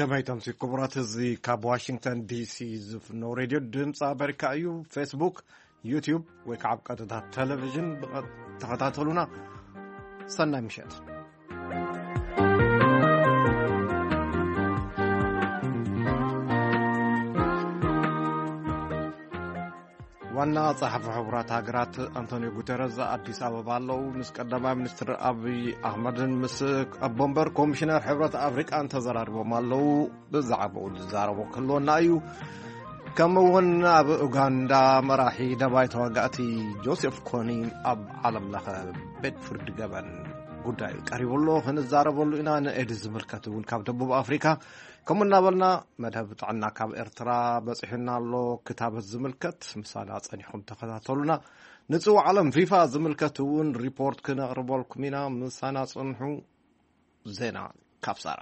ሰማይቶም ሲ ክቡራት፣ እዚ ካብ ዋሽንግተን ዲሲ ዝፍኖ ሬድዮ ድምፂ ኣሜሪካ እዩ። ፌስቡክ፣ ዩቲዩብ ወይ ከዓ ኣብ ቀጥታ ቴሌቪዥን ብቐ-፣ ተኸታተሉና። ሰናይ ምሸት። ዋና ጸሓፊ ሕቡራት ሃገራት ኣንቶኒዮ ጉተረዝ ኣዲስ ኣበባ ኣለዉ። ምስ ቀዳማይ ሚኒስትር ኣብይ ኣሕመድን ምስ ኣቦ ወንበር ኮሚሽነር ሕብረት ኣፍሪቃን ተዘራሪቦም ኣለዉ። ብዛዕባኡ ዝዛረቦ ክህልወና እዩ። ከምኡ እውን ኣብ ኡጋንዳ መራሒ ደባይ ተዋጋእቲ ጆሴፍ ኮኒ ኣብ ዓለም ለኸ ቤት ፍርዲ ገበን ጉዳዩ ቀሪቡ ኣሎ። ክንዛረበሉ ኢና። ንኤድስ ዝምልከት እውን ካብ ደቡብ ኣፍሪካ ከምኡ እናበልና፣ መደብ ጥዕና ካብ ኤርትራ በጺሑና ኣሎ። ክታበት ዝምልከት ምሳና ጸኒሕኩም ተኸታተሉና። ንጽዋዕ ዓለም ፊፋ ዝምልከት እውን ሪፖርት ክነቕርበልኩም ኢና። ምሳና ጽንሑ። ዜና ካብ ሳራ።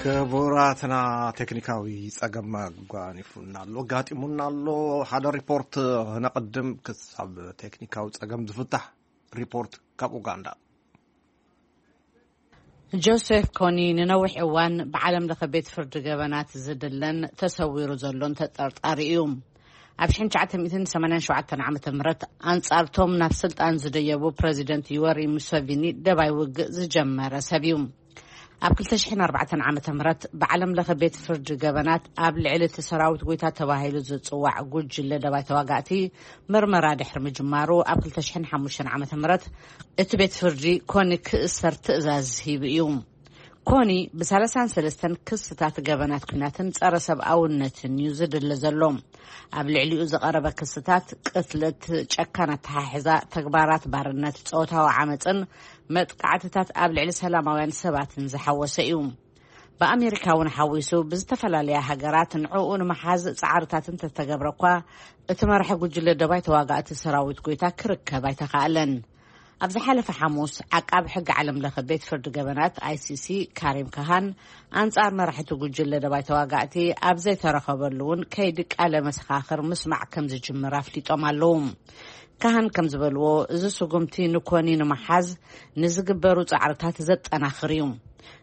ክቡራትና፣ ቴክኒካዊ ጸገም ኣጓኒፉና ኣሎ፣ ኣጋጢሙና ኣሎ። ሓደ ሪፖርት ነቐድም፣ ክሳብ ቴክኒካዊ ጸገም ዝፍታሕ። ሪፖርት ካብ ኡጋንዳ። ጆሴፍ ኮኒ ንነዊሕ እዋን ብዓለም ለኸ ቤት ፍርዲ ገበናት ዝድለን ተሰዊሩ ዘሎን ተጠርጣሪ እዩ። ኣብ ሽሕን ትሽዓተ ሚእትን ሰማንያን ሸውዓተን ዓመተ ምህረት ኣንጻርቶም ናብ ስልጣን ዝደየቡ ፕረዚደንት ዩወሪ ሙሰቪኒ ደባይ ውግእ ዝጀመረ ሰብ እዩ። ኣብ ክልተ ሽሕን ኣርባዕተን ዓመተ ምህረት ብዓለም ለኸ ቤት ፍርዲ ገበናት ኣብ ልዕሊ እቲ ሰራዊት ጎይታ ተባሂሉ ዝጽዋዕ ጉጅለ ደባይ ተዋጋእቲ ምርመራ ድሕሪ ምጅማሩ፣ ኣብ ክልተ ሽሕን ሓሙሽተን ዓመተ ምህረት እቲ ቤት ፍርዲ ኮኒ ክእሰር ትእዛዝ ሂቡ እዩ። ኮኒ ብሰላሳን ሰለስተን ክስታት ገበናት ኲናትን ጸረ ሰብኣውነትን እዩ ዝድለ ዘሎ። ኣብ ልዕሊኡ ዝቐረበ ክስታት ቅትለት፣ ጨካን ኣተሓሕዛ፣ ተግባራት ባርነት፣ ጾታዊ ዓመጽን መጥቃዕትታት ኣብ ልዕሊ ሰላማውያን ሰባትን ዝሓወሰ እዩ። ብኣሜሪካ እውን ሓዊሱ ብዝተፈላለያ ሃገራት ንዕኡ ንምሓዝ ጻዕርታት እንተተገብረ እኳ፣ እቲ መራሒ ጉጅለ ደባይ ተዋጋእቲ ሰራዊት ጎይታ ክርከብ ኣይተኻእለን። ኣብ ዝሓለፈ ሓሙስ፣ ዓቃቢ ሕጊ ዓለም ለኸ ቤት ፍርዲ ገበናት፣ ኣይሲሲ፣ ካሪም ካሃን፣ ኣንጻር መራሕቲ ጉጅለ ደባይ ተዋጋእቲ ኣብ ዘይተረኸበሉ እውን ከይዲ ቃለ መሰኻኽር ምስማዕ ከም ዝጅምር ኣፍሊጦም ኣለዉ። ካህን ከም ዝበልዎ፣ እዚ ስጉምቲ ንኮኒ ንምሓዝ ንዝግበሩ ጻዕርታት ዘጠናኽር እዩ።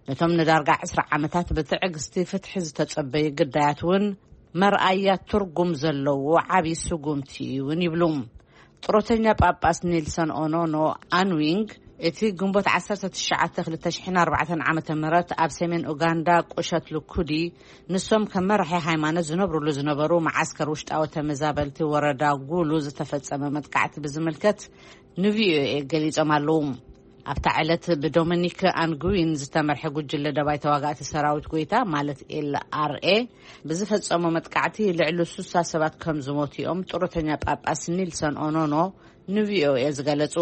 ነቶም ንዳርጋ ዕስራ ዓመታት ብትዕግስቲ ፍትሒ ዝተጸበዩ ግዳያት እውን መርኣያ ትርጉም ዘለዎ ዓቢ ስጉምቲ እዩ እውን ይብሉ። ጥሮተኛ ጳጳስ ኔልሰን ኦኖኖ ኣንዊንግ፣ እቲ ግንቦት ዓሰርተ ትሽዓተ ክልተ ሽሕን ኣርባዕተን ዓመተ ምህረት ኣብ ሰሜን ኡጋንዳ ቁሸት ልኩዲ ንሶም ከም መራሒ ሃይማኖት ዝነብሩሉ ዝነበሩ መዓስከር ውሽጣዊ ተመዛበልቲ ወረዳ ጉሉ ዝተፈጸመ መጥቃዕቲ ብዝምልከት ንቪኦኤ ገሊጾም ኣለዉ። ኣብታ ዕለት ብዶሚኒክ ኣንጉዊን ዝተመርሐ ጉጅለ ደባይ ተዋጋእቲ ሰራዊት ጎይታ፣ ማለት ኤልኣርኤ፣ ብዝፈጸሞ መጥቃዕቲ ልዕሊ ሱሳ ሰባት ከም ዝሞቱ እዮም ጡረተኛ ጳጳስ ኒልሰን ኦኖኖ ንቪኦኤ ዝገለጹ።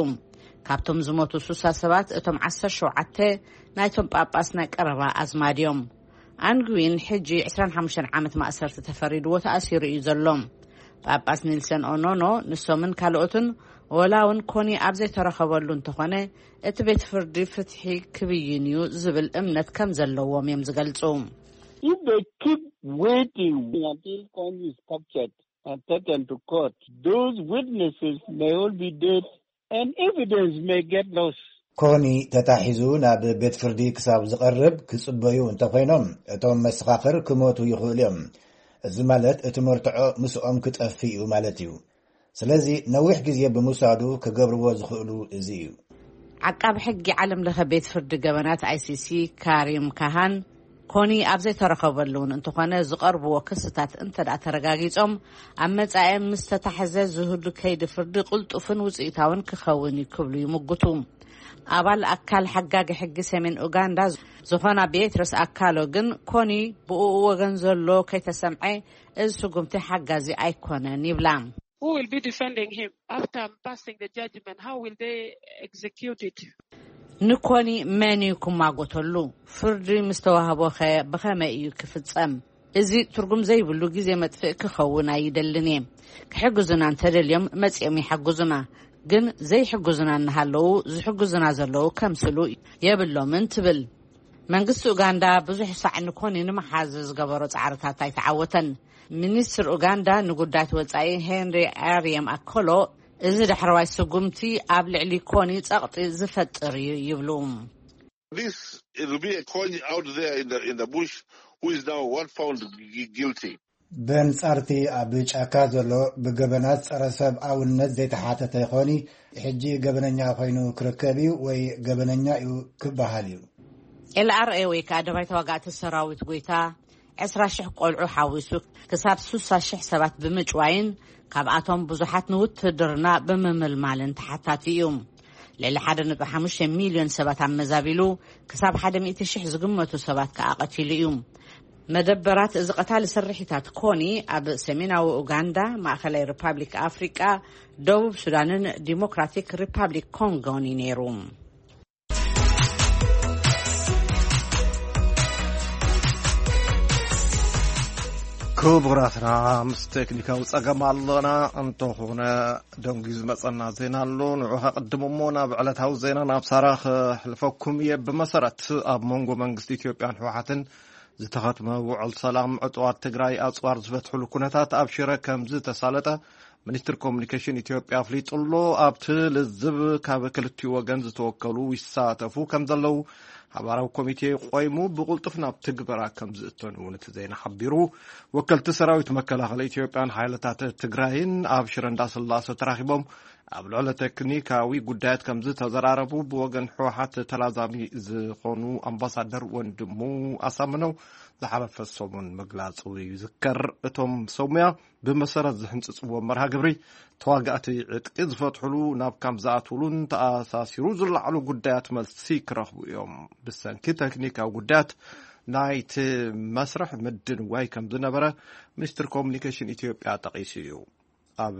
ካብቶም ዝሞቱ ሱሳ ሰባት፣ እቶም ዓሰርተ ሸውዓተ ናይቶም ጳጳስ ናይ ቀረባ ኣዝማድ እዮም። ኣንግዊን ሕጂ ዕስራን ሓሙሽተን ዓመት ማእሰርቲ ተፈሪድዎ ተኣሲሩ እዩ ዘሎ። ጳጳስ ኒልሰን ኦኖኖ ንሶምን ካልኦትን፣ ወላ እውን ኮኒ ኣብ ዘይተረኸበሉ እንተኾነ፣ እቲ ቤት ፍርዲ ፍትሒ ክብይን እዩ ዝብል እምነት ከም ዘለዎም እዮም ዝገልጹ። If they keep waiting until Kony is captured and taken to court, those witnesses may all be dead and evidence may get lost. ኮኒ ተታሒዙ ናብ ቤት ፍርዲ ክሳብ ዝቐርብ ክጽበዩ እንተኾይኖም፣ እቶም መሰኻኽር ክሞቱ ይኽእሉ እዮም። እዚ ማለት እቲ መርትዖ ምስኦም ክጠፍእ እዩ ማለት እዩ። ስለዚ ነዊሕ ግዜ ብምውሳዱ ክገብርዎ ዝኽእሉ እዚ እዩ። ዓቃቢ ሕጊ ዓለም ለኸ ቤት ፍርዲ ገበናት፣ ኣይሲሲ፣ ካሪም ካሃን፣ ኮኒ ኣብ ዘይተረኸበሉ እውን እንተኾነ፣ ዝቐርብዎ ክስታት እንተ ደኣ ተረጋጊጾም፣ ኣብ መጻኢ ምስ ተታሕዘ ዝህሉ ከይዲ ፍርዲ ቅልጡፍን ውጽኢታውን ክኸውን እዩ ክብሉ ይምጉቱ። ኣባል ኣካል ሓጋጊ ሕጊ ሰሜን ኡጋንዳ ዝኾና ቤትረስ ኣካሎ ግን፣ ኮኒ ብኡ ወገን ዘሎ ከይተሰምዐ፣ እዚ ስጉምቲ ሓጋዚ ኣይኮነን ይብላ። Who will be defending him after passing the judgment? How will they execute it? ንኮኒ መን እዩ ክማጎተሉ? ፍርዲ ምስ ተዋህቦኸ ብኸመይ እዩ ክፍጸም? እዚ ትርጉም ዘይብሉ ግዜ መጥፍእ ክኸውን ኣይደልን እየ። ክሕግዙና እንተደልዮም መጺኦም ይሓግዙና። ግን ዘይሕግዙና እናሃለዉ ዝሕግዙና ዘለዉ ከምስሉ የብሎምን ትብል። መንግስቲ ኡጋንዳ ብዙሕ ሳዕ ንኮኒ ንምሓዝ ዝገበሮ ጻዕርታት ኣይተዓወተን። ሚኒስትር ኡጋንዳ ንጉዳያት ወጻኢ ሄንሪ ኣርየም ኣኮሎ፣ እዚ ዳሕረዋይ ስጉምቲ ኣብ ልዕሊ ኮኒ ጸቕጢ ዝፈጥር እዩ ይብሉ። This it will be a coin out there in the in the bush who is now one found gui- guilty. በንጻርቲ ኣብ ጫካ ዘሎ ብገበናት ጸረ ሰብኣውነት ዘይተሓተተ ይኾኒ ሕጂ ገበነኛ ኮይኑ ክርከብ እዩ ወይ ገበነኛ እዩ ክበሃል እዩ። ኤልኣርኤ ወይ ከዓ ደባይ ተዋጋእቲ ሰራዊት ጎይታ ዕስራ ሽሕ ቆልዑ ሓዊሱ ክሳብ ስሳ ሽሕ ሰባት ብምጭዋይን ካብኣቶም ብዙሓት ንውትድርና ብምምልማልን ተሓታቲ እዩ። ልዕሊ ሓደ ነጥቢ ሓሙሽተ ሚልዮን ሰባት ኣመዛቢሉ ክሳብ ሓደ ሚእቲ ሽሕ ዝግመቱ ሰባት ከዓ ቀቲሉ እዩ። መደበራት እዚ ቀታሊ ስርሒታት ኮኒ ኣብ ሰሜናዊ ኡጋንዳ፣ ማእኸላይ ሪፓብሊክ ኣፍሪቃ፣ ደቡብ ሱዳንን ዲሞክራቲክ ሪፓብሊክ ኮንጎን እዩ ነይሩ። ክቡራትና ምስ ቴክኒካዊ ጸገም ኣለና እንተኾነ ደንጉዩ ዝመጸና ዜና ኣሎ። ንዑ ከቕድም እሞ ናብ ዕለታዊ ዜና ናብ ሳራ ክሕልፈኩም እየ። ብመሰረት ኣብ መንጎ መንግስቲ ኢትዮጵያን ህወሓትን ዝተኸትመ ውዕል ሰላም ዕጡዋት ትግራይ ኣጽዋር ዝበትሕሉ ኩነታት ኣብ ሽረ ከም ዝተሳለጠ ሚኒስትር ኮሙኒኬሽን ኢትዮጵያ ኣፍሊጡ ኣሎ። ኣብቲ ልዝብ ካብ ክልቲኡ ወገን ዝተወከሉ ይሳተፉ ከም ዘለዉ ሓባራዊ ኮሚቴ ቆይሙ ብቕልጡፍ ናብ ትግበራ ከም ዝእተን እውን እቲ ዜና ሓቢሩ። ወከልቲ ሰራዊት መከላኸሊ ኢትዮጵያን ሓይልታት ትግራይን ኣብ ሽረ እንዳስላሰ ተራኺቦም ኣብ ልዕሊ ቴክኒካዊ ጉዳያት ከም ዝተዘራረቡ ብወገን ህወሓት ተላዛሚ ዝኾኑ ኣምባሳደር ወንድሙ ኣሳምነው ዝሓለፈ ሰሙን ምግላጹ ይዝከር። እቶም ሰሙያ ብመሰረት ዝሕንጽጽዎ መርሃ ግብሪ ተዋጋእቲ ዕጥቂ ዝፈትሕሉ ናብ ካምፕ ዝኣትውሉን ተኣሳሲሩ ዝለዓሉ ጉዳያት መልሲ ክረኽቡ እዮም። ብሰንኪ ቴክኒካዊ ጉዳያት ናይቲ መስርሕ ምድንዋይ ከም ዝነበረ ሚኒስትር ኮሙኒኬሽን ኢትዮጵያ ጠቒሱ እዩ። ኣብ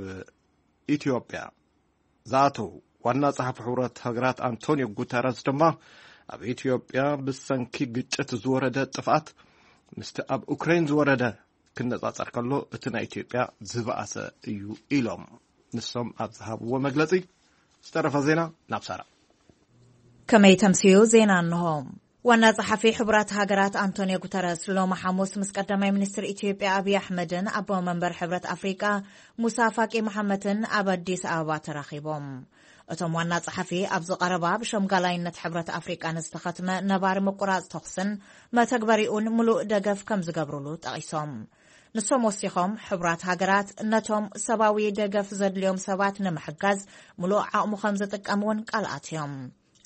ኢትዮጵያ ዝኣተው ዋና ጸሓፊ ሕብረት ሃገራት ኣንቶኒዮ ጉተረስ ድማ ኣብ ኢትዮጵያ ብሰንኪ ግጭት ዝወረደ ጥፍኣት ምስቲ ኣብ ኡክሬን ዝወረደ ክነጻጸር ከሎ እቲ ናይ ኢትዮጵያ ዝበኣሰ እዩ ኢሎም። ንሶም ኣብ ዝሃብዎ መግለጺ ዝተረፈ ዜና ናብ ሳራ። ከመይ ተምስዩ ዜና እንሆ። ዋና ጸሓፊ ሕቡራት ሃገራት ኣንቶኒዮ ጉተረስ ሎሚ ሓሙስ ምስ ቀዳማይ ሚኒስትር ኢትዮጵያ ኣብይ ኣሕመድን ኣቦ መንበር ሕብረት ኣፍሪቃ ሙሳ ፋቂ መሓመትን ኣብ ኣዲስ ኣበባ ተራኺቦም። እቶም ዋና ጸሓፊ ኣብዚ ቀረባ ብሸምጋላይነት ሕብረት ኣፍሪቃ ንዝተኸትመ ነባሪ ምቁራጽ ተኹስን መተግበሪኡን ምሉእ ደገፍ ከም ዝገብሩሉ ጠቒሶም። ንሶም ወሲኾም ሕቡራት ሃገራት ነቶም ሰብኣዊ ደገፍ ዘድልዮም ሰባት ንምሕጋዝ ምሉእ ዓቕሙ ከም ዝጥቀም እውን ቃል ኣትዮም።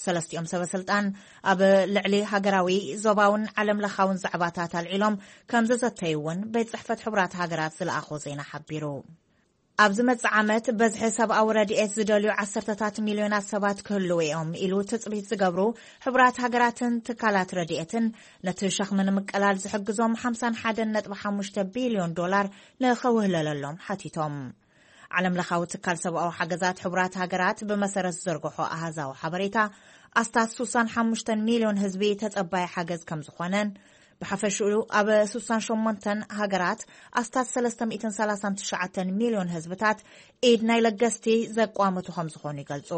ሰለስቲኦም ሰበ ስልጣን ኣብ ልዕሊ ሃገራዊ ዞባውን ዓለም ለኻውን ዛዕባታት ኣልዒሎም ከም ዝዘተዩ እውን ቤት ጽሕፈት ሕቡራት ሃገራት ዝለኣኾ ዜና ሓቢሩ። ኣብ ዝመጽእ ዓመት በዝሒ ሰብኣዊ ረድኤት ዝደልዩ ዓሰርተታት ሚልዮናት ሰባት ክህልዉ እዮም ኢሉ ትጽቢት ዝገብሩ ሕቡራት ሃገራትን ትካላት ረድኤትን ነቲ ሸኽሚ ንምቅላል ዝሕግዞም ሓምሳን ሓደን ነጥቢ ሓሙሽተ ቢልዮን ዶላር ንኸውህለለሎም ሓቲቶም። ዓለም ለኻዊ ትካል ሰብኣዊ ሓገዛት ሕቡራት ሃገራት ብመሰረት ዝዘርግሖ ኣሃዛዊ ሓበሬታ ኣስታት ስሳን ሓሙሽተን ሚልዮን ህዝቢ ተጸባይ ሓገዝ ከም ዝኾነን ብሓፈሽኡ ኣብ ስሳን ሸሞንተን ሃገራት ኣስታት ሰለስተ ሚእትን ሰላሳን ትሽዓተን ሚልዮን ህዝብታት ኢድ ናይ ለገስቲ ዘቋመቱ ከም ዝኾኑ ይገልጹ።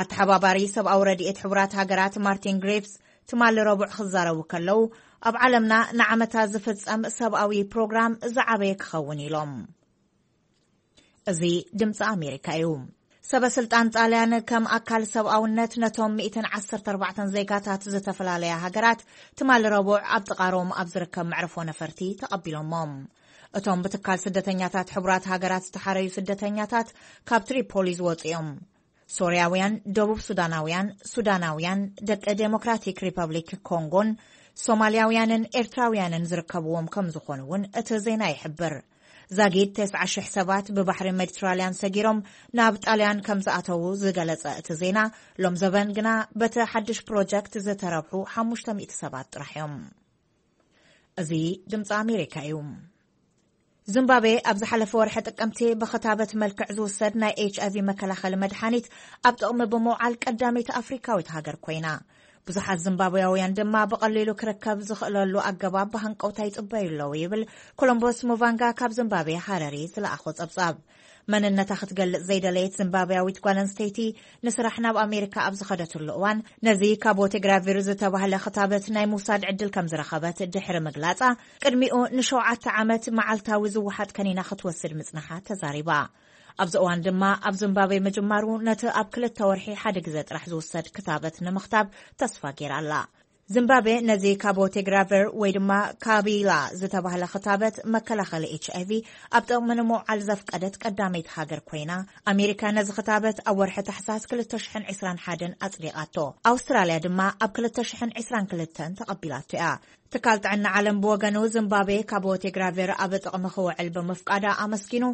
ኣተሓባባሪ ሰብኣዊ ረድኤት ሕቡራት ሃገራት ማርቲን ግሪፍስ ትማሊ ረቡዕ ክዛረቡ ከለዉ ኣብ ዓለምና ንዓመታ ዝፍጸም ሰብኣዊ ፕሮግራም ዝዓበየ ክኸውን ኢሎም። እዚ ድምፂ ኣሜሪካ እዩ። ሰበ ስልጣን ጣልያን ከም ኣካል ሰብኣውነት ነቶም ሚእትን ዓሰርተ ኣርባዕተን ዜጋታት ዝተፈላለያ ሃገራት ትማሊ ረቡዕ ኣብ ጥቓ ሮም ኣብ ዝርከብ መዕርፎ ነፈርቲ ተቐቢሎሞም። እቶም ብትካል ስደተኛታት ሕቡራት ሃገራት ዝተሓረዩ ስደተኛታት ካብ ትሪፖሊ ዝወፁ እዮም። ሶርያውያን፣ ደቡብ ሱዳናውያን፣ ሱዳናውያን፣ ደቂ ዴሞክራቲክ ሪፐብሊክ ኮንጎን ሶማልያውያንን ኤርትራውያንን ዝርከብዎም ከም ዝኾኑ እውን እቲ ዜና ይሕብር። ዛጊድ ተስዓ ሽሕ ሰባት ብባሕሪ ሜዲትራልያን ሰጊሮም ናብ ጣልያን ከም ዝኣተዉ ዝገለጸ እቲ ዜና፣ ሎም ዘበን ግና በቲ ሓድሽ ፕሮጀክት ዝተረብሑ ሓሙሽተ ሚእቲ ሰባት ጥራሕ እዮም። እዚ ድምፂ ኣሜሪካ እዩ። ዚምባብዌ ኣብ ዝሓለፈ ወርሒ ጥቅምቲ ብኽታበት መልክዕ ዝውሰድ ናይ ኤች ኣይቪ መከላኸሊ መድሓኒት ኣብ ጥቕሚ ብምውዓል ቀዳመይቲ ኣፍሪካዊት ሃገር ኮይና። ብዙሓት ዚምባብያውያን ድማ ብቐሊሉ ክርከብ ዝኽእለሉ ኣገባብ ብሃንቀውታ ይጽበዩ ኣለዉ ይብል ኮሎምቦስ ሙቫንጋ ካብ ዚምባብዌ ሃረሪ ዝለኣኾ ጸብጻብ። መንነታ ክትገልጽ ዘይደለየት ዚምባብያዊት ጓል ኣንስተይቲ ንስራሕ ናብ ኣሜሪካ ኣብ ዝኸደትሉ እዋን ነዚ ካቦቴግራቪር ዝተባህለ ክታበት ናይ ምውሳድ ዕድል ከም ዝረኸበት ድሕሪ ምግላጻ፣ ቅድሚኡ ንሸውዓተ ዓመት መዓልታዊ ዝወሓጥ ከኒና ክትወስድ ምጽናሓ ተዛሪባ። ኣብዚ እዋን ድማ ኣብ ዚምባብዌ ምጅማሩ ነቲ ኣብ ክልተ ወርሒ ሓደ ግዜ ጥራሕ ዝውሰድ ክታበት ንምኽታብ ተስፋ ገይራ ኣላ። ዚምባብዌ ነዚ ካቦቴግራቨር ወይ ድማ ካቢላ ዝተባህለ ክታበት መከላኸሊ ኤች ኣይቪ ኣብ ጥቕሚ ንምውዓል ዘፍቀደት ቀዳመይቲ ሃገር ኮይና፣ ኣሜሪካ ነዚ ክታበት ኣብ ወርሒ ታሕሳስ ክልተ ሽሕን ዕስራን ሓደን ኣጽዲቓቶ። ኣውስትራልያ ድማ ኣብ ክልተ ሽሕን ዕስራን ክልተን ተቐቢላቶ እያ። ትካል ጥዕና ዓለም ብወገኑ፣ ዚምባብዌ ካቦቴግራቨር ኣብ ጥቕሚ ክውዕል ብምፍቃዳ ኣመስጊኑ፣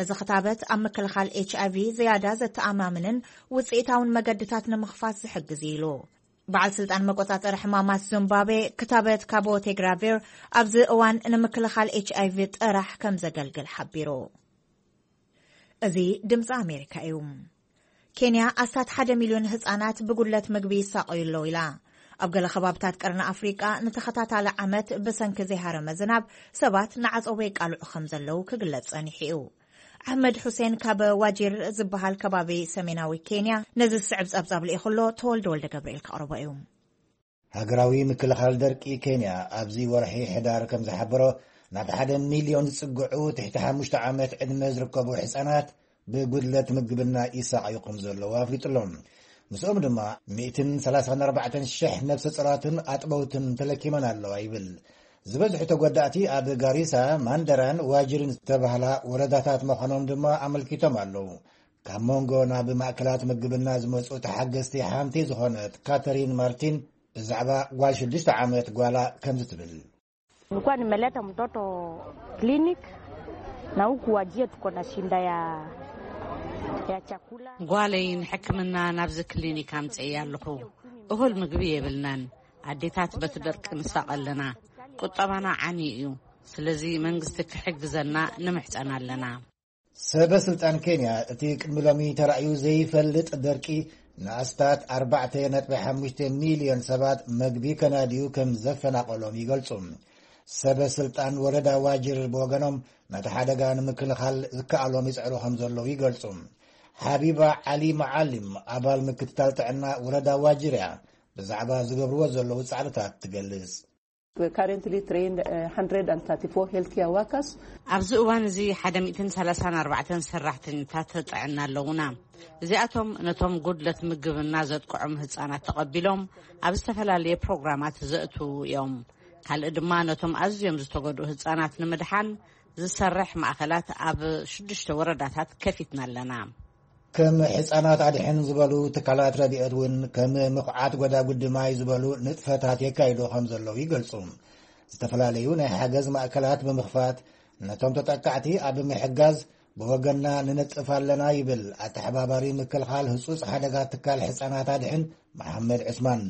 እዚ ክታበት ኣብ ምክልኻል ኤች ኣይቪ ዝያዳ ዘተኣማምንን ውጽኢታውን መገድታት ንምኽፋት ዝሕግዝ እዩ ኢሉ። በዓል ስልጣን መቆጻጸሪ ሕማማት ዚምባብዌ፣ ክታበት ካቦቴግራቪር ኣብዚ እዋን ንምክልኻል ኤች ኣይቪ ጥራሕ ከም ዘገልግል ሓቢሩ። እዚ ድምፂ ኣሜሪካ እዩ። ኬንያ ኣስታት ሓደ ሚልዮን ህጻናት ብጉድለት ምግቢ ይሳቐዩ ኣለዉ ኢላ። ኣብ ገለ ከባብታት ቀርኒ ኣፍሪቃ ንተኸታታሊ ዓመት ብሰንኪ ዘይሃረመ ዝናብ ሰባት ንዓጸቦ ይቃልዑ ከም ዘለዉ ክግለጽ ጸኒሑ እዩ። ኣሕመድ ሑሴን ካብ ዋጂር ዝበሃል ከባቢ ሰሜናዊ ኬንያ ነዚ ዝስዕብ ጸብጻብ ልኢኹ ኣሎ። ተወልደ ወልደ ገብርኤል ከቕርቦ እዩ። ሃገራዊ ምክልኻል ደርቂ ኬንያ ኣብዚ ወርሒ ሕዳር ከም ዝሓበሮ፣ ናብ ሓደ ሚልዮን ዝጽግዑ ትሕቲ ሓሙሽተ ዓመት ዕድመ ዝርከቡ ሕጻናት ብጉድለት ምግብና ይሳቐዩ ከም ዘለዉ ኣፍሊጡ ኣሎ። ምስኦም ድማ ሚእትን ሰላሳን ኣርባዕተን ሽሕ ነብሰ ጾራትን ኣጥበውትን ተለኪመን ኣለዋ ይብል። ዝበዝሑ ተጎዳእቲ ኣብ ጋሪሳ፣ ማንደራን ዋጅርን ዝተባህላ ወረዳታት ምዃኖም ድማ ኣመልኪቶም ኣለዉ። ካብ መንጎ ናብ ማእከላት ምግብና ዝመጹ ተሓገዝቲ ሓንቲ ዝኾነት ካተሪን ማርቲን ብዛዕባ ጓል ሽዱሽተ ዓመት ጓላ ከምዚ ትብል። Nilikuwa nimeleta mtoto clinic na huku wajie tuko na shinda ya, ya chakula. ጓለይ ንሕክምና ናብዚ ክሊኒክ ኣምጽእያ ኣለኹ። እኹል ምግቢ የብልናን። ኣዴታት በቲ ደርቂ ንሳቐ ኣለና። ቁጠባና ዓንዩ እዩ። ስለዚ መንግስቲ ክሕግዘና ንምሕጸን ኣለና። ሰበ ስልጣን ኬንያ፣ እቲ ቅድሚ ሎሚ ተራእዩ ዘይፈልጥ ደርቂ ንኣስታት ኣርባዕተ ነጥቢ ሓሙሽተ ሚልዮን ሰባት መግቢ ከናድዩ ከም ዘፈናቐሎም ይገልጹ። ሰበ ስልጣን ወረዳ ዋጅር ብወገኖም፣ ነቲ ሓደጋ ንምክልኻል ዝከኣሎም ይጽዕሩ ከም ዘለዉ ይገልጹ። ሓቢባ ዓሊ መዓሊም፣ ኣባል ምክትታል ጥዕና ወረዳ ዋጅር እያ፣ ብዛዕባ ዝገብርዎ ዘለዉ ጻዕርታት ትገልጽ። We're currently trained, uh, one hundred thirty-four healthcare workers. ኣብዚ እዋን እዚ ሓደ ሚእትን ሰላሳን ኣርባዕተን ሰራሕተኛታት ጥዕና ኣለዉና። እዚኣቶም ነቶም ጉድለት ምግብና ዘጥቅዖም ህጻናት ተቐቢሎም ኣብ ዝተፈላለየ ፕሮግራማት ዘእትዉ እዮም። ካልእ ድማ ነቶም ኣዝዮም ዝተጎድኡ ህጻናት ንምድሓን ዝሰርሕ ማእከላት ኣብ ሽዱሽተ ወረዳታት ከፊትና ኣለና። ከም ሕጻናት ኣድሕን ዝበሉ ትካላት ረድኤት እውን ከም ምኹዓት ጎዳጉዲ ማይ ዝበሉ ንጥፈታት የካይዱ ከም ዘለዉ ይገልጹ። ዝተፈላለዩ ናይ ሓገዝ ማእከላት ብምኽፋት ነቶም ተጠቃዕቲ ኣብ ምሕጋዝ ብወገንና ንነጥፍ ኣለና ይብል ኣተሓባባሪ ምክልኻል ህጹጽ ሓደጋ ትካል ሕጻናት ኣድሕን መሓመድ ዑስማን።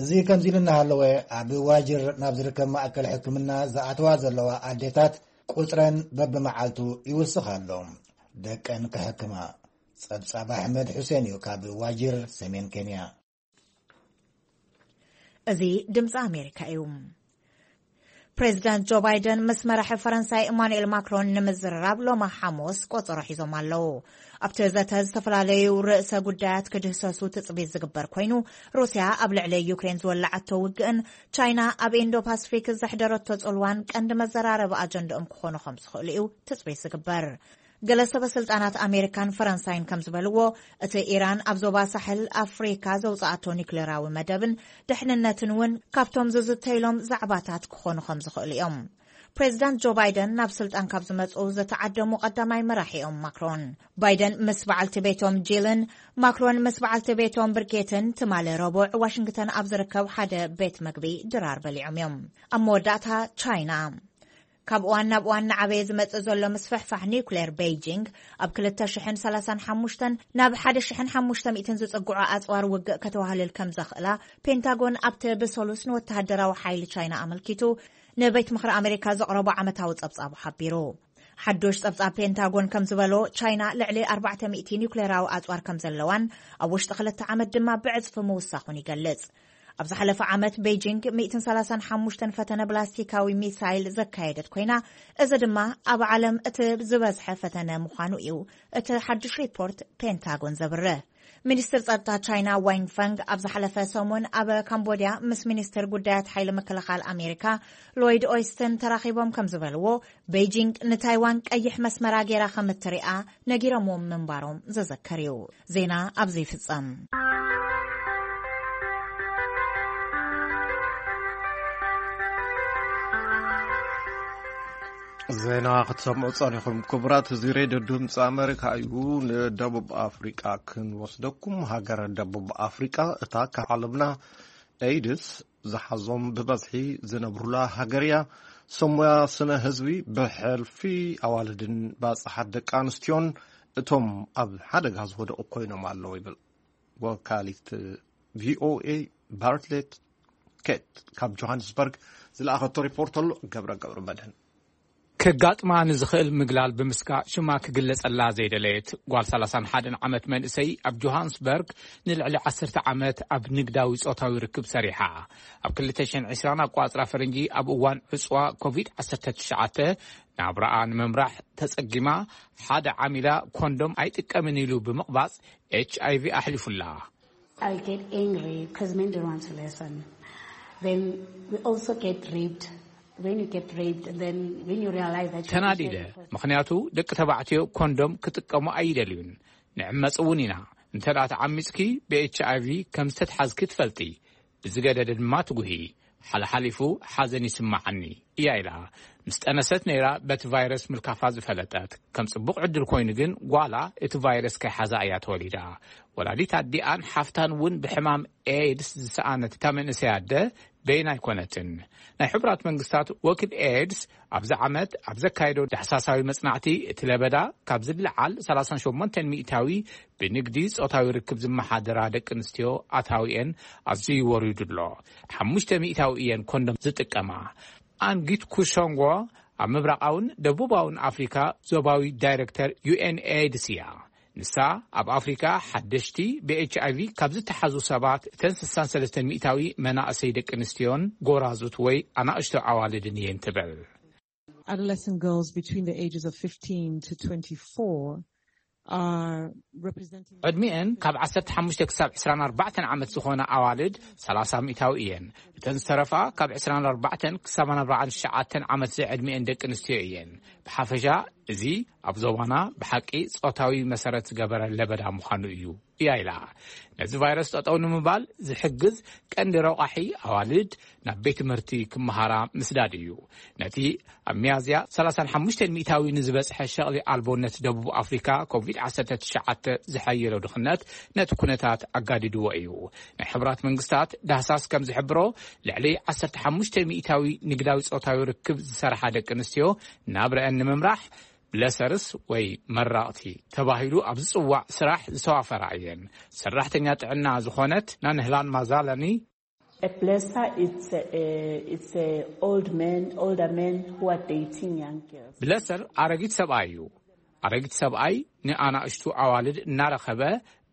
እዚ ከምዚ ኢሉ እናሃለወ፣ ኣብ ዋጅር ናብ ዝርከብ ማእከል ሕክምና ዝኣተዋ ዘለዋ ኣዴታት ቁጽረን በብመዓልቱ ይውስኽ ኣሎ። ደቀን ክሕክማ። ጸብጻብ ኣሕመድ ሑሴን እዩ ካብ ዋጅር ሰሜን ኬንያ። እዚ ድምፂ ኣሜሪካ እዩ። ፕሬዚዳንት ጆ ባይደን ምስ መራሒ ፈረንሳይ ኢማኑኤል ማክሮን ንምዝርራብ ሎማ ሓሙስ ቆጸሮ ሒዞም ኣለዉ። ኣብቲ ዘተ ዝተፈላለዩ ርእሰ ጉዳያት ክድህሰሱ ትጽቢት ዝግበር ኮይኑ፣ ሩስያ ኣብ ልዕሊ ዩክሬን ዝወላዓቶ ውግእን ቻይና ኣብ ኢንዶ ፓስፊክ ዘሕደረቶ ጽልዋን ቀንዲ መዘራረቢ ኣጀንዳኦም ክኾኑ ከም ዝኽእሉ እዩ ትጽቢት ዝግበር። ገለ ሰበ ስልጣናት ኣሜሪካን ፈረንሳይን ከም ዝበልዎ፣ እቲ ኢራን ኣብ ዞባ ሳሕል ኣፍሪካ ዘውፅኣቶ ኒውክሌራዊ መደብን ድሕንነትን እውን ካብቶም ዝዝተይሎም ዛዕባታት ክኾኑ ከም ዝኽእሉ እዮም። ፕሬዚዳንት ጆ ባይደን ናብ ስልጣን ካብ ዝመፁ ዝተዓደሙ ቀዳማይ መራሒ እዮም ማክሮን። ባይደን ምስ በዓልቲ ቤቶም ጂልን ማክሮን ምስ በዓልቲ ቤቶም ብርጌትን ትማሊ ረቡዕ ዋሽንግተን ኣብ ዝርከብ ሓደ ቤት መግቢ ድራር በሊዖም እዮም። ኣብ መወዳእታ ቻይና። ካብ እዋን ናብ እዋን እናዓበየ ዝመጽእ ዘሎ ምስፍሕፋሕ ኒውክሌር ቤይጂንግ፣ ኣብ ክልተ ሽሕን ሰላሳን ሓሙሽተን ናብ ሓደ ሽሕን ሓሙሽተ ሚእትን ዝጽግዑ ኣጽዋር ውግእ ከተዋህልል ከም ዘኽእላ ፔንታጎን ኣብቲ ብሰሉስ ንወተሃደራዊ ሓይሊ ቻይና ኣመልኪቱ ንቤት ምኽሪ ኣሜሪካ ዘቕረቦ ዓመታዊ ጸብጻቡ ሓቢሩ። ሓዶሽ ጸብጻብ ፔንታጎን ከም ዝበሎ፣ ቻይና ልዕሊ ኣርባዕተ ሚእቲ ኒውክሌራዊ ኣጽዋር ከም ዘለዋን ኣብ ውሽጢ ክልተ ዓመት ድማ ብዕጽፊ ምውሳኹን ይገልጽ። ኣብ ዝሓለፈ ዓመት ቤጂንግ ሚእትን ሰላሳን ሓሙሽተን ፈተነ ብላስቲካዊ ሚሳይል ዘካየደት ኮይና፣ እዚ ድማ ኣብ ዓለም እቲ ዝበዝሐ ፈተነ ምዃኑ እዩ እቲ ሓድሽ ሪፖርት ፔንታጎን ዘብርህ። ሚኒስትር ጸጥታ ቻይና ዋንግ ፈንግ ኣብ ዝሓለፈ ሰሙን ኣብ ካምቦድያ ምስ ሚኒስትር ጉዳያት ሓይሊ ምክልኻል ኣሜሪካ ሎይድ ኦይስትን ተራኺቦም ከም ዝበልዎ፣ ቤጂንግ ንታይዋን ቀይሕ መስመራ ገይራ ከም እትሪኣ ነጊሮምዎም ምንባሮም ዝዝከር እዩ። ዜና ኣብ ዘይፍጸም። ዜና ክትሰምዑ ጸኒኹም ክቡራት፣ እዚ ሬድዮ ድምፂ ኣሜሪካ እዩ። ንደቡብ ኣፍሪቃ ክንወስደኩም። ሃገረ ደቡብ ኣፍሪቃ እታ ካብ ዓለምና ኤድስ ዝሓዞም ብበዝሒ ዝነብሩላ ሃገር እያ። ሰሙያ ስነ ህዝቢ ብሕልፊ ኣዋልድን ባጽሓት ደቂ ኣንስትዮን እቶም ኣብ ሓደጋ ዝወደቑ ኮይኖም ኣለዉ ይብል ወካሊት ቪኦኤ ባርትሌት ኬት ካብ ጆሃንስበርግ ዝለኣኸቶ ሪፖርት ኣሎ። ገብረ ገብረ መድህን። ከጋጥማ ንዝኽእል ምግላል ብምስጋእ ሽማ ክግለጸላ ዘይደለየት ጓል ሰላሳን ሓደን ዓመት መንእሰይ ኣብ ጆሃንስበርግ ንልዕሊ ዓሰርተ ዓመት ኣብ ንግዳዊ ጾታዊ ርክብ ሰሪሓ። ኣብ ክልተ ሽሕን ዕስራን ኣቋጽራ ፈረንጂ ኣብ እዋን ዕጽዋ ኮቪድ ዓሰርተ ትሽዓተ ናብራኣ ንምምራሕ ተጸጊማ፣ ሓደ ዓሚላ ኮንዶም ኣይጥቀምን ኢሉ ብምቕባጽ ኤች ኣይ ቪ ኣሕሊፉላ። I get angry because men don't want to listen. Then we also get raped. When you get raped, and then when you realize that you ተናዲደ፣ ምኽንያቱ ደቂ ተባዕትዮ ኮንዶም ክጥቀሙ ኣይደልዩን። ንዕመጽ እውን ኢና። እንተ ደኣ ተዓሚጽኪ ብኤች ኣይ ቪ ከም ዝተትሓዝኪ ትፈልጢ። ብዝገደደ ድማ ትጉሂ። ሓለሓሊፉ ሓዘን ይስምዓኒ እያ ኢላ። ምስ ጠነሰት ነይራ በቲ ቫይረስ ምልካፋ ዝፈለጠት። ከም ጽቡቕ ዕድል ኮይኑ ግን ጓላ እቲ ቫይረስ ከይሓዛ እያ ተወሊዳ። ወላዲት ኣዲኣን ሓፍታን እውን ብሕማም ኤድስ ዝሰኣነት እታ መንእሰይ ኣደ በይና ኣይኮነትን። ናይ ሕቡራት መንግስታት ወኪል ኤድስ ኣብዚ ዓመት ኣብ ዘካየዶ ዳሕሳሳዊ መጽናዕቲ፣ እቲ ለበዳ ካብ ዝለዓል ሰላሳን ሸሞንተን ሚእታዊ ብንግዲ ጾታዊ ርክብ ዝመሓደራ ደቂ ኣንስትዮ ኣታዊኤን ኣዝዩ ወሪዱ ኣሎ። ሓሙሽተ ሚእታዊ እየን ኮንዶም ዝጥቀማ። ኣንጊት ኩሾንጎ ኣብ ምብራቓውን ደቡባውን ኣፍሪካ ዞባዊ ዳይሬክተር ዩ ኤን ኤድስ እያ። ንሳ ኣብ ኣፍሪካ ሓደሽቲ ብኤች ኣይ ቪ ካብ ዝተሓዙ ሰባት እተን ስሳን ሰለስተን ሚእታዊ መናእሰይ ደቂ ኣንስትዮን ጎራዙት ወይ ኣናእሽቶ ኣዋልድን እየን ትብል። Adolescent girls between the ages of fifteen to twenty-four are representing ዕድሚኤን ካብ ዓሰርተ ሓሙሽተ ክሳብ ዕስራን ኣርባዕተን ዓመት ዝኾነ ኣዋልድ ሰላሳ ሚእታዊ እየን። እተን ዝተረፋ ካብ ዕስራን ኣርባዕተን ክሳብ ኣርባዓን ትሽዓተን ዓመት ዝዕድሚኤን ደቂ ኣንስትዮ እየን። ብሓፈሻ እዚ ኣብ ዞባና ብሓቂ ጾታዊ መሰረት ዝገበረ ለበዳ ምዃኑ እዩ እያ ኢላ። ነዚ ቫይረስ ጠጠው ንምባል ዝሕግዝ ቀንዲ ረቋሒ ኣዋልድ ናብ ቤት ትምህርቲ ክመሃራ ምስዳድ እዩ። ነቲ ኣብ ሚያዝያ ሰላሳን ሓሙሽተን ሚእታዊ ንዝበጽሐ ሸቕሊ ኣልቦነት ደቡብ ኣፍሪካ ኮቪድ ዓሰርተ ትሽዓተ ዝሓየሎ ድኽነት ነቲ ኩነታት ኣጋዲድዎ እዩ። ናይ ሕቡራት መንግስታት ዳህሳስ ከም ዝሕብሮ ልዕሊ ዓሰርተ ሓሙሽተ ሚእታዊ ንግዳዊ ጾታዊ ርክብ ዝሰርሓ ደቂ ኣንስትዮ ናብረአን ንምምራሕ ብለሰርስ ወይ መራቕቲ ተባሂሉ ኣብ ዝጽዋዕ ስራሕ ዝተዋፈራ እየን። ሰራሕተኛ ጥዕና ዝኾነት ናንህላን ማዛላኒ A blesser, it's a, it's a old man, older men who are dating young girls. ብለሰር ኣረጊት ሰብኣይ እዩ። ኣረጊት ሰብኣይ ንኣናእሽቱ ኣዋልድ እናረኸበ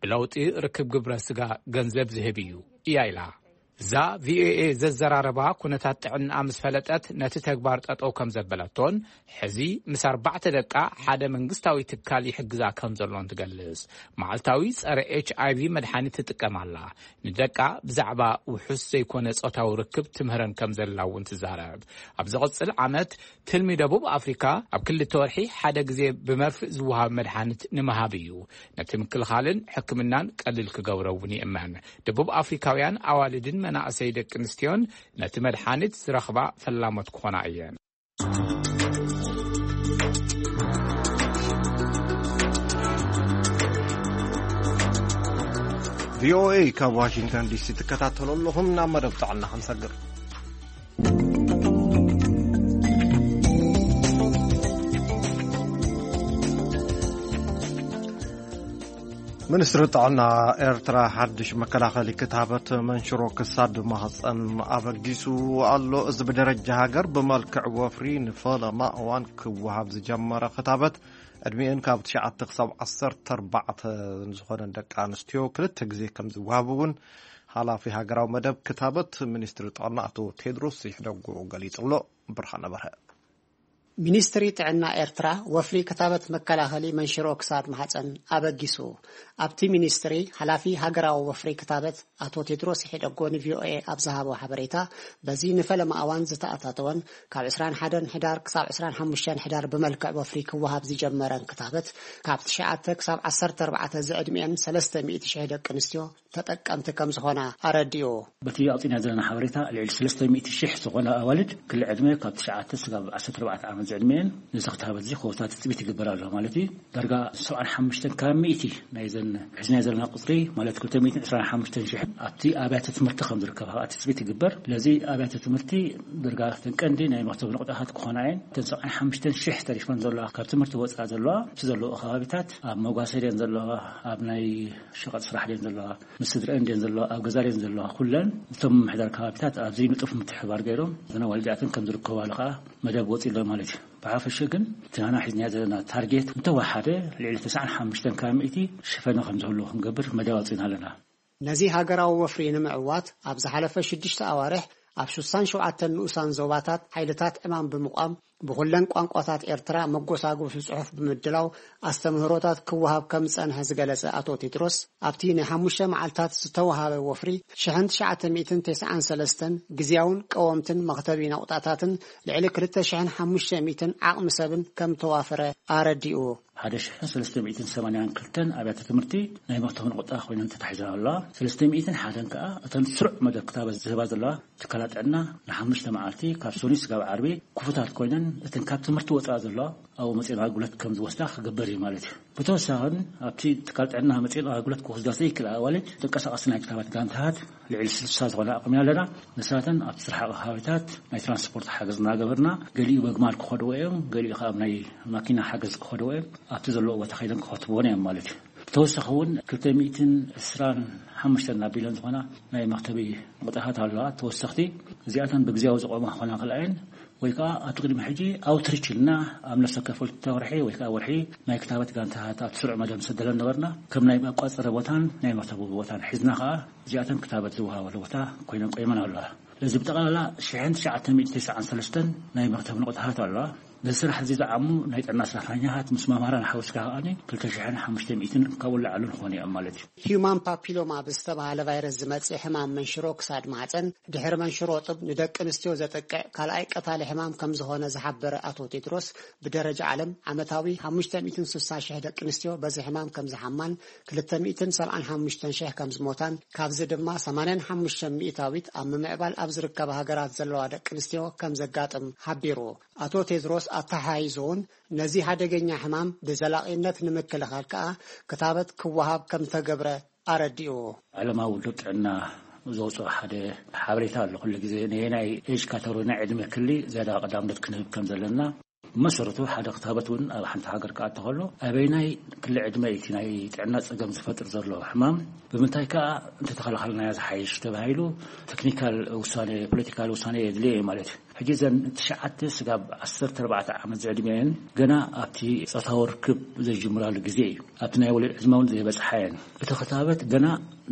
ብለውጢ ርክብ ግብረ ስጋ ገንዘብ ዝህብ እዩ እያ ኢላ። እዛ ቪኦኤ ዘዘራረባ ኩነታት ጥዕና ምስ ፈለጠት ነቲ ተግባር ጠጠው ከም ዘበለቶን ሕዚ ምስ ኣርባዕተ ደቃ ሓደ መንግስታዊ ትካል ይሕግዛ ከም ዘሎን ትገልጽ። መዓልታዊ ጸረ ኤች ኣይ ቪ መድሓኒት ትጥቀም ኣላ። ንደቃ ብዛዕባ ውሑስ ዘይኮነ ጾታዊ ርክብ ትምህረን ከም ዘላ እውን ትዛረብ። ኣብ ዝቕጽል ዓመት ትልሚ ደቡብ ኣፍሪካ ኣብ ክልተ ወርሒ ሓደ ግዜ ብመርፍእ ዝወሃብ መድሓኒት ንምሃብ እዩ። ነቲ ምክልኻልን ሕክምናን ቀሊል ክገብሮ እውን ይእመን። ደቡብ ኣፍሪካውያን ኣዋልድን መናእሰይ ደቂ ኣንስትዮን ነቲ መድሓኒት ዝረኽባ ፈላሞት ክኾና እየን። ቪኦኤ ካብ ዋሽንግተን ዲሲ ትከታተሉ ኣለኹም። ናብ መደብ ጥዕና ክንሰግር። ሚኒስትሪ ጥዕና ኤርትራ ሓድሽ መከላኸሊ ክታበት መንሽሮ ክሳድ ማህፀን ኣበጊሱ ኣሎ። እዚ ብደረጃ ሃገር ብመልክዕ ወፍሪ ንፈለማ እዋን ክወሃብ ዝጀመረ ክታበት ዕድሚኤን ካብ ትሽዓተ ክሳብ ዓሰርተ ኣርባዕተ ዝኾነን ደቂ ኣንስትዮ ክልተ ግዜ ከም ዝወሃብ እውን ሓላፊ ሃገራዊ መደብ ክታበት ሚኒስትሪ ጥዕና ኣቶ ቴድሮስ ይሕደጎ ገሊጹ ኣሎ። ብርሃነ በርሀ። ሚኒስትሪ ጥዕና ኤርትራ ወፍሪ ክታበት መከላኸሊ መንሽሮ ክሳድ ማህፀን ኣበጊሱ። ኣብቲ ሚኒስትሪ ሓላፊ ሃገራዊ ወፍሪ ክታበት ኣቶ ቴድሮስ ይሕደጎ ንቪኦኤ ኣብ ዝሃቦ ሓበሬታ፣ በዚ ንፈለማ እዋን ዝተኣታተወን ካብ ዕስራን ሓደን ሕዳር ክሳብ ዕስራን ሓሙሽተን ሕዳር ብመልክዕ ወፍሪ ክወሃብ ዝጀመረን ክታበት ካብ ትሽዓተ ክሳብ ዓሰርተ ኣርባዕተ ዝዕድሚኤን ሰለስተ ሚእቲ ሽሕ ደቂ ኣንስትዮ ተጠቀምቲ ከም ዝኾና ኣረዲኡ። በቲ ኣውፂእና ዘለና ሓበሬታ ልዕሊ ሰለስተ ሚእቲ ሽሕ ዝኾና ኣዋልድ ክሊ ዕድመ ካብ ትሽዓተ ስጋብ ዓሰርተ ኣርባዕተ ዓመት ዝዕድመየን ነዚ ክታበት እዚ ክወስዳ ትፅቢት ይግበር ኣሎ ማለት እዩ። ዳርጋ ሰብዓን ሓሙሽተን ካብ ሚእቲ ናይዘን ሒዝናዮ ዘለና ቁፅሪ ማለት ክልተ ሚእትን ዕስራን ሓሙሽተን ሽሕ ኣብቲ ኣብያተ ትምህርቲ ከም ዝርከባ ከዓ ትፅቢት ይግበር። ስለዚ ኣብያተ ትምህርቲ ዳርጋ እተን ቀንዲ ናይ መክተብ ንቑጣታት ክኾና እየን። እተን ሰብዓን ሓሙሽተን ሽሕ ተሪፈን ዘለዋ ካብ ትምህርቲ ወፃኢ ዘለዋ እቲ ዘለዋ ከባቢታት ኣብ መጓሰ ድየን ዘለዋ ኣብ ናይ ሸቐጥ ስራሕ ድየን ዘለዋ ምስ ስድረአን ድየን ዘለዋ ኣብ ገዛ ድየን ዘለዋ ኩለን እቶም ምምሕዳር ከባቢታት ኣብዚ ንጡፍ ምትሕባር ገይሮም እዘን ኣዋልድ እዚኣተን ከም ዝርከባሉ ከዓ መደብ ወፂኡ ኣሎ ማለት እዩ። ብሓፈሸ ግን እቲ ናና ሒዝናዮ ዘለና ታርጌት እንተወሓደ ልዕሊ ተስዓን ሓሙሽተን ካብ ሚእቲ ሽፈነ ከም ዝህሉ ክንገብር መደብ ኣውፂእና ኣለና። ነዚ ሃገራዊ ወፍሪ ንምዕዋት ኣብ ዝሓለፈ ሽዱሽተ ኣዋርሕ ኣብ ሽሳን ሸውዓተን ንኡሳን ዞባታት ሓይልታት ዕማም ብምቋም ብኹለን ቋንቋታት ኤርትራ መጎሳጎሲ ጽሑፍ ብምድላው ኣስተምህሮታት ክወሃብ ከም ዝጸንሐ ዝገለጸ ኣቶ ቴድሮስ፣ ኣብቲ ናይ ሓሙሽተ መዓልታት ዝተወሃበ ወፍሪ ሽሕን ትሽዓተ ሚእትን ተስዓን ሰለስተን ግዝያውን ቀወምትን መኽተቢ ነቑጣታትን ልዕሊ ክልተ ሽሕን ሓሙሽተ ሚእትን ዓቕሚ ሰብን ከም ተዋፈረ ኣረዲኡ። ሓደ ሽሕን ሰለስተ ሚእትን ሰማንያን ክልተን ኣብያተ ትምህርቲ ናይ መኽተቢ ነቑጣ ኮይነን ተታሒዘን ኣለዋ። ሰለስተ ሚእትን ሓደን ከኣ እተን ስሩዕ መደብ ክታበት ዝህባ ዘለዋ ትካላት ጥዕና ንሓሙሽተ መዓልቲ ካብ ሰኑይ ስጋብ ዓርቢ ክፉታት ኮይነን እተን ካብ ትምህርቲ ወፃኢ ዘለዋ ኣብኡ መፅኤን ኣገልግሎት ከም ዝወስዳ ክግበር እዩ ማለት እዩ። ብተወሳኺን ኣብቲ ትካል ጥዕና መፅኤን ኣገልግሎት ክወስዳ ዘይክእላ ኣዋልድ ተንቀሳቐሲ ናይ ክታበት ጋንታታት ልዕሊ ስልሳ ዝኾነ ኣቕሚና ኣለና። ንሳተን ኣብቲ ዝረሓቐ ከባቢታት ናይ ትራንስፖርት ሓገዝ እናገበርና፣ ገሊኡ በግማል ክኸድዎ እዮም፣ ገሊኡ ከዓ ኣብ ናይ ማኪና ሓገዝ ክኸድዎ እዮም። ኣብቲ ዘለዎ ቦታ ከይደን ክኸትብዎን እዮም ማለት እዩ። ብተወሳኺ እውን ክልተ ሚእትን ዕስራን ሓሙሽተን ኣቢለን ዝኾና ናይ መኽተቢ ቁጥርታት ኣለዋ ተወሰኽቲ። እዚኣተን ብግዜያዊ ዝቆማ ክኾና ክልኣየን ወይ ከዓ ኣብቲ ቅድሚ ሕጂ ኣውትሪች ኢልና ኣብ ነፍሰ ከፈል ወርሒ ወይ ከዓ ወርሒ ናይ ክታበት ጋንታታት ኣብቲ ስሩዕ መደብ ንሰደለን ነበርና። ከም ናይ መቋፀሪ ቦታን ናይ መኽተቢ ቦታን ሒዝና ከዓ እዚኣተን ክታበት ዝወሃበሉ ቦታ ኮይነን ቆይመን ኣለዋ። ስለዚ ብጠቕላላ ሽሕን ትሽዓተ ሚእቲ ተስዓን ሰለስተን ናይ መኽተቢ ንቑጣታት ኣለዋ። ነዚ ስራሕ እዚ ዝዓሙ ናይ ጥዕና ሰራሕተኛታት ምስ መምህራን ሓዊስካ ከኣ ክልተ ሽሕን ሓሙሽተ ሚእትን ካብኡ ንላዕሊ ዝኾኑ እዮም ማለት እዩ። ሂዩማን ፓፒሎማ ብዝተባሃለ ቫይረስ ዝመጽእ ሕማም መንሽሮ ክሳድ ማህጸን ድሕሪ መንሽሮ ጡብ ንደቂ ኣንስትዮ ዘጥቅዕ ካልኣይ ቀታሊ ሕማም ከም ዝኾነ ዝሓበረ ኣቶ ቴድሮስ፣ ብደረጃ ዓለም ዓመታዊ ሓሙሽተ ሚእትን ስሳን ሽሕ ደቂ ኣንስትዮ በዚ ሕማም ከም ዝሓማን ክልተ ሚእትን ሰብዓን ሓሙሽተን ሽሕ ከም ዝሞታን ካብዚ ድማ ሰማንያን ሓሙሽተ ሚእታዊት ኣብ ምምዕባል ኣብ ዝርከባ ሃገራት ዘለዋ ደቂ ኣንስትዮ ከም ዘጋጥም ሓቢሩ። ኣቶ ቴድሮስ ኣተሓሒዙ እውን ነዚ ሓደገኛ ሕማም ብዘላቒነት ንምክልኻል ከኣ ክታበት ክወሃብ ከም ተገብረ ኣረዲኡ። ዓለማዊ ውድብ ጥዕና ዘውፅኦ ሓደ ሓበሬታ ኣሎ። ኩሉ ግዜ ነየናይ ኤጅ ካተጎሪ ናይ ዕድመ ክሊ ዝያዳ ቀዳምነት ክንህብ ከም ዘለና ብመሰረቱ ሓደ ክታበት እውን ኣብ ሓንቲ ሃገር ክኣቱ ከሎ ኣበይናይ ክሊ ዕድመ እቲ ናይ ጥዕና ፀገም ዝፈጥር ዘሎ ሕማም ብምንታይ ከኣ እንተተኸላኸልናዮ ዝሓይሽ ተባሂሉ ቴክኒካል ውሳኔ፣ ፖለቲካል ውሳኔ የድልዮ እዩ ማለት እዩ። ሕጂ እዘን ትሽዓተ ስጋብ ዓሰርተ ኣርባዕተ ዓመት ዝዕድመ እየን ገና ኣብቲ ጾታዊ ርክብ ዘይጅምራሉ ግዜ እዩ። ኣብቲ ናይ ወሊድ ዕድመ እውን ዘይበጽሓ እየን። እቲ ክታበት ገና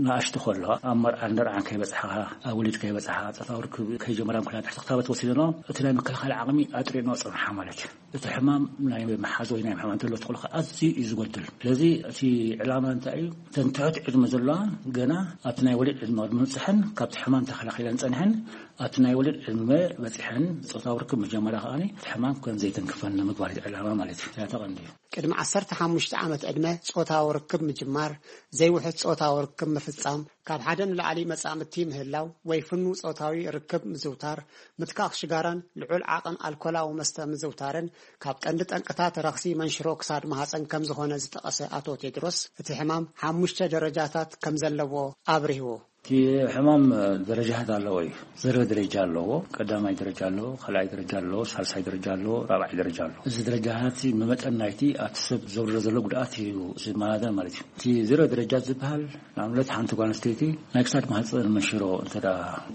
ንኣሽቱ ከለዋ ኣብ መርዓን ደርዓን ከይበጽሓ፣ ኣብ ወሊድ ከይበጽሓ፣ ጾታዊ ርክብ ከይጀመራን ኮይና ትሕቲ ክታበት ወሲደንኦ እቲ ናይ ምክልኻል ዓቕሚ ኣጥሪእንኦ ጽንሓ ማለት እዩ። እቲ ሕማም ናይ ምሓዝ ወይ ናይ ምሕማም ተሎ ተኽእሎ ኣዝዩ እዩ ዝጎድል። ስለዚ እቲ ዕላማ እንታይ እዩ? እተን ትሑት ዕድመ ዘለዋ ገና ኣብቲ ናይ ወሊድ ዕድመ ቅድሚ ምብጽሐን ካብቲ ሕማም ተኸላኺለን ጸኒሐን ኣብቲ ናይ ወሊድ ዕድመ በጺሐን ጾታዊ ርክብ ምጀመራ ከኣ እቲ ሕማም ከም ዘይተንክፈን ንምግባር እዩ ዕላማ ማለት እዩ። እዚኣ ተቐንዲ እዩ። ቅድሚ ዓሰርተ ሓሙሽተ ዓመት ዕድመ ጾታዊ ርክብ ምጅማር፣ ዘይውሑድ ጾታዊ ርክብ ምፍጻም፣ ካብ ሓደ ንላዕሊ መጻምድቲ ምህላው ወይ ፍኑው ጾታዊ ርክብ ምዝውታር፣ ምትካኽ ሽጋራን ልዑል ዓቐን ኣልኮላዊ መስተ ምዝውታርን ካብ ቀንዲ ጠንቅታት ረኽሲ መንሽሮ ክሳድ ማህጸን ከም ዝኾነ ዝጠቐሰ ኣቶ ቴድሮስ፣ እቲ ሕማም ሓሙሽተ ደረጃታት ከም ዘለዎ ኣብሪሁ። እቲ ሕማም ደረጃታት ኣለዎ እዩ። ዘረ ደረጃ ኣለዎ። ቀዳማይ ደረጃ ኣለዎ፣ ካልኣይ ደረጃ ኣለዎ፣ ሳልሳይ ደረጃ ኣለዎ፣ ራብዓይ ደረጃ ኣለዎ። እዚ ደረጃታት መመጠን ናይቲ ኣብቲ ሰብ ዘውርዶ ዘሎ ጉድኣት እዩ ዝመሃዘን ማለት እዩ። እቲ ዘረ ደረጃ ዝበሃል ንኣብነት ሓንቲ ጓል ኣንስተይቲ ናይ ክሳድ ማህፀን መንሽሮ እንተ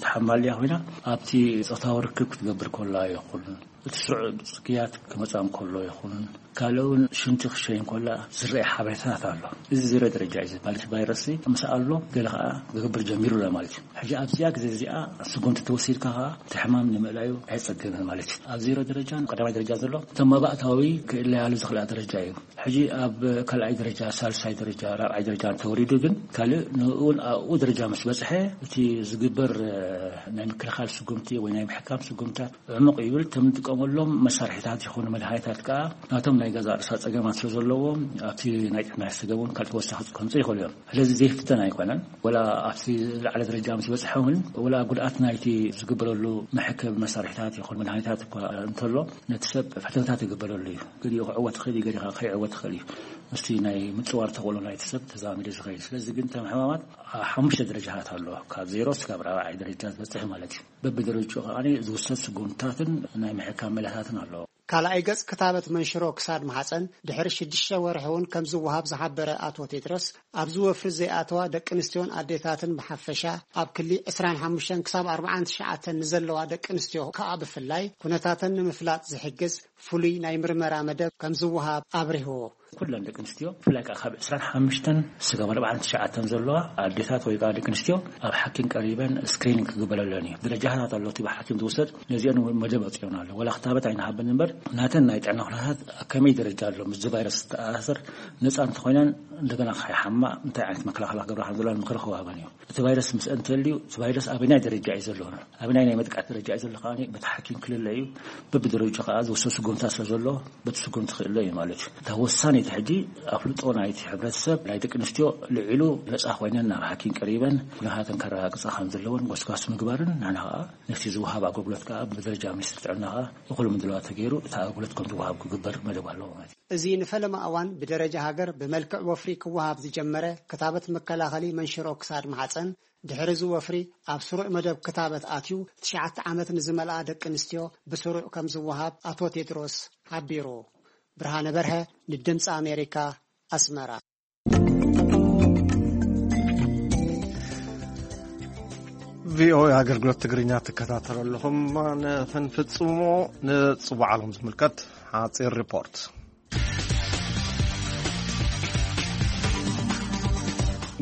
ተሓማልያ ኮይና ኣብቲ ፆታዊ ርክብ ክትገብር ከላ ይኹን እቲ ስሩዕ ጽግያት ክመጻ እንከሎ ይኹን ካልእ እውን ሽንቲ ክሸይ እንከላ ዝረአ ሓበሬታታት ኣሎ። እዚ ዝረ ደረጃ እዩ ዝበሃል። እቲ ቫይረስ ምስ ኣሎ ገለ ከዓ ክገብር ጀሚሩ ኣሎ ማለት እዩ። ሕጂ ኣብዚኣ ግዜ እዚኣ ስጉምቲ ተወሲድካ ከዓ እቲ ሕማም ንምእላዩ ኣይጸገምን ማለት እዩ። ኣብ ዜሮ ደረጃን ቀዳማይ ደረጃ ዘሎ እቶም መባእታዊ ክእለያሉ ዝኽእላ ደረጃ እዩ። ሕጂ ኣብ ካልኣይ ደረጃ፣ ሳልሳይ ደረጃ፣ ራብዓይ ደረጃ እንተወሪዱ ግን ካልእ ንእውን ኣብኡ ደረጃ ምስ በጽሐ እቲ ዝግበር ናይ ምክልኻል ስጉምቲ ወይ ናይ ምሕካም ስጉምታት ዕሙቕ ይብል። እቶም ንጥቀመሎም መሳርሒታት ይኹኑ መድሃኒታት ከኣ ናቶም ናይ ገዛ ርእሳ ጸገማት ስለ ዘለዎም ኣብቲ ናይ ጥዕና ሰገብ እውን ካልእ ተወሳኺ ከምጽእ ይኽእሉ እዮም። ስለዚ ዘይፍተን ኣይኮነን። ወላ ኣብቲ ዝለዓለ ደረጃ ምስ በጽሐ እውን ወላ ጉድኣት ናይቲ ዝግበረሉ መሕከብ መሳርሒታት ይኹን መድሃኒታት እኳ እንተሎ ነቲ ሰብ ፈተነታት ይግበረሉ እዩ። ገሊኡ ክዕወት ይኽእል እዩ፣ ገሊኡ ከይዕወት ይኽእል እዩ። ምስቲ ናይ ምጽዋር ተኽእሎ ናይቲ ሰብ ተዛሚዱ ዝኸይድ። ስለዚ ግን እቶም ሕማማት ሓሙሽተ ደረጃታት ኣለዎ። ካብ ዜሮ እስካብ ራብዓይ ደረጃ ዝበጽሕ ማለት እዩ። በብደረጃኡ ከኣ ዝውሰድ ስጉምትታትን ናይ ምሕካም መለታትን ኣለዎ። ካልኣይ ገጽ ክታበት መንሽሮ ክሳድ ማሕጸን ድሕሪ ሽዱሽተ ወርሒ እውን ከም ዝወሃብ ዝሓበረ ኣቶ ቴድሮስ፣ ኣብዚ ወፍሪ ዘይኣተዋ ደቂ ኣንስትዮን ኣዴታትን ብሓፈሻ ኣብ ክሊ ዕስራን ሓሙሽተን ክሳብ ኣርባዓን ትሽዓተን ንዘለዋ ደቂ ኣንስትዮ ከኣ ብፍላይ ኩነታተን ንምፍላጥ ዝሕግዝ ፍሉይ ናይ ምርመራ መደብ ከም ዝወሃብ ኣብሪህዎ። ኩለን ደቂ ኣንስትዮ ብፍላይ ከዓ ካብ ዕስራን ሓሙሽተን ስጋብ ኣርባዓን ትሽዓተን ዘለዋ ኣዴታት ወይ ከዓ ደቂ ኣንስትዮ ኣብ ሓኪም ቀሪበን ስክሪኒንግ ክግበረለን እዩ። ደረጃታት ኣሎ እቲ ብሓኪም ዝውሰድ፣ ነዚአን እውን መደብ ኣውፂኦን ኣሎ። ወላ ክታበት ኣይንሃበን እምበር ናተን ናይ ጥዕና ኩነታት ኣብ ከመይ ደረጃ ኣሎ፣ ምስዚ ቫይረስ ዝተኣሳሰር ነፃ እንተኮይነን እንደገና ከይሓማ እንታይ ዓይነት መከላኸሊ ክገብራ ከም ዘለዋን ምክሪ ክወሃበን እዩ። እቲ ቫይረስ ምስ እንተልዩ እቲ ቫይረስ ኣበናይ ደረጃ እዩ ዘሎ፣ ኣበናይ ናይ መጥቃዕቲ ደረጃ እዩ ዘሎ ከዓ በቲ ሓኪም ክልለ እዩ። በብደረጃ ከዓ ዝወሰድ ስጉምታ ስለ ዘሎ በቲ ስጉምቲ ክእለ እዩ ማለት እዩ። እታ ወሳኒት ሕጂ ኣፍልጦ ናይቲ ሕብረተሰብ ናይ ደቂ ኣንስትዮ ልዒሉ ነፃ ኮይነን ናብ ሓኪም ቀሪበን ኩነታተን ከረጋግፃ ከም ዘለወን ጎስጓስ ምግባርን ንሕና ከዓ ነቲ ዝወሃብ ኣገልግሎት ከዓ ብደረጃ ሚኒስትሪ ጥዕና ከዓ እኹል ምድላዋት ተገይሩ እቲ ኣገልግሎት ከም ዝወሃብ ክግበር መደብ ኣለዎ ማለት እዩ። እዚ ንፈለማ እዋን ብደረጃ ሃገር ብመልክዕ ወፍሪ ክወሃብ ዝጀመረ ክታበት መከላኸሊ መንሽሮ ክሳድ ማሕፀን ድሕሪ እዚ ወፍሪ ኣብ ስሩዕ መደብ ክታበት ኣትዩ ትሽዓተ ዓመት ንዝመልኣ ደቂ ኣንስትዮ ብስሩዕ ከም ዝወሃብ ኣቶ ቴድሮስ ሓቢሩ። ብርሃነ በርሀ ንድምፂ ኣሜሪካ ኣስመራ። ቪኦኤ ኣገልግሎት ትግርኛ ትከታተሉ ኣለኹም። ንኽንፍጽሞ ንጽዋዕ ዓለም ዝምልከት ሓጺር ሪፖርት።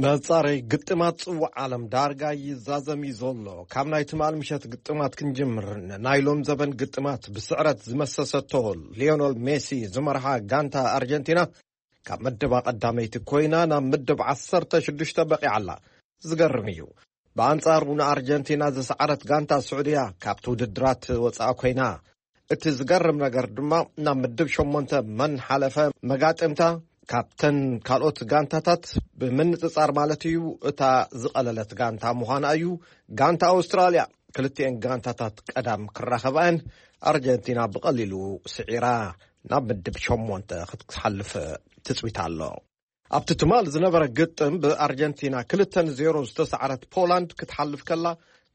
መጻረይ ግጥማት ጽዋዕ ዓለም ዳርጋ ይዛዘም እዩ ዘሎ። ካብ ናይ ትማል ምሸት ግጥማት ክንጅምር፣ ንናይ ሎም ዘበን ግጥማት ብስዕረት ዝመሰሰቶ ሊዮኖል ሜሲ ዝመርሓ ጋንታ ኣርጀንቲና ካብ ምድባ ቀዳመይቲ ኮይና ናብ ምድብ ዓሰርተ ሽዱሽተ በቒዓ ኣላ። ዝገርም እዩ። ብኣንጻሩ ንኣርጀንቲና ዝሰዓረት ጋንታ ስዑድያ ካብቲ ውድድራት ወጻኣ ኮይና። እቲ ዝገርም ነገር ድማ ናብ ምድብ ሸሞንተ መን ሓለፈ መጋጥምታ ካብተን ካልኦት ጋንታታት ብምንጽጻር ማለት እዩ እታ ዝቐለለት ጋንታ ምዃና እዩ። ጋንታ ኣውስትራልያ ክልቲኤን ጋንታታት ቀዳም ክራኸባየን ኣርጀንቲና ብቐሊሉ ስዒራ ናብ ምድብ ሸሞንተ ክትሓልፍ ትጽቢት ኣሎ። ኣብቲ ትማል ዝነበረ ግጥም ብኣርጀንቲና ክልተ ንዜሮ ዝተሰዓረት ፖላንድ ክትሓልፍ ከላ፣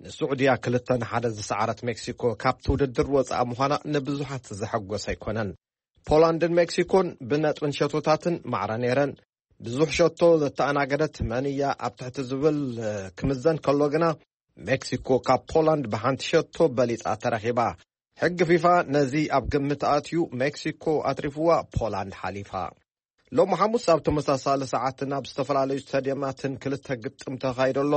ንስዑድያ ክልተ ንሓደ ዝሰዓረት ሜክሲኮ ካብቲ ውድድር ወጻኣ ምዃና ንብዙሓት ዘሐጎሰ ኣይኮነን። ፖላንድን ሜክሲኮን ብነጥብን ሸቶታትን ማዕረ ነይረን። ብዙሕ ሸቶ ዘተኣናገደት መን እያ ኣብ ትሕቲ ዝብል ክምዘን ከሎ ግና፣ ሜክሲኮ ካብ ፖላንድ ብሓንቲ ሸቶ በሊጻ ተረኺባ። ሕጊ ፊፋ ነዚ ኣብ ግምት ኣትዩ ሜክሲኮ ኣትሪፍዋ ፖላንድ ሓሊፋ። ሎሚ ሓሙስ ኣብ ተመሳሳሊ ሰዓት ናብ ዝተፈላለዩ ስታድየማትን ክልተ ግጥም ተኻይዶ ኣሎ።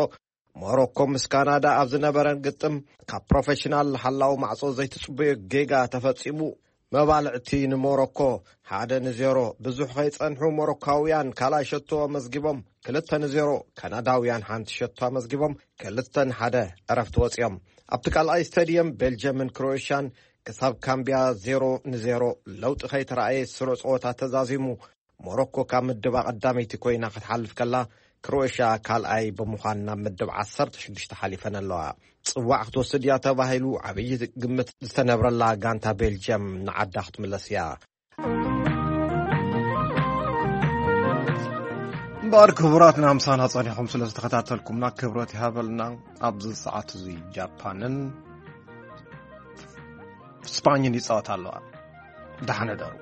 ሞሮኮ ምስ ካናዳ ኣብ ዝነበረን ግጥም ካብ ፕሮፌሽናል ሓላዊ ማዕጾ ዘይትጽበዮ ጌጋ ተፈጺሙ። መባልዕቲ ንሞሮኮ ሓደ ንዜሮ። ብዙሕ ከይጸንሑ ሞሮካውያን ካልኣይ ሸቶ ኣመዝጊቦም። ክልተ ንዜሮ። ካናዳውያን ሓንቲ ሸቶ ኣመዝጊቦም። ክልተ ንሓደ ዕረፍቲ ወጺኦም። ኣብቲ ካልኣይ ስታድየም ቤልጅየምን ክሮኤሽያን ክሳብ ካምቢያ ዜሮ ንዜሮ ለውጢ ከይተረኣየ ስሩዕ ጸወታ ተዛዚሙ። ሞሮኮ ካብ ምድባ ቀዳመይቲ ኮይና ክትሓልፍ ከላ፣ ክሮኤሽያ ካልኣይ ብምዃን ናብ ምድብ ዓሰርተ ሽዱሽተ ሓሊፈን ኣለዋ። ጽዋዕ ክትወስድ እያ ተባሂሉ ዓብዪ ግምት ዝተነብረላ ጋንታ ቤልጅየም ንዓዳ ክትምለስ እያ። እምበኣር ክቡራትና፣ ምሳና ጸኒኹም ስለ ዝተኸታተልኩምና ክብረት ይሃበልና። ኣብዚ ሰዓት እዚ ጃፓንን ስፓኝን ይጻወታ ኣለዋ። ደሓነ ደሩ።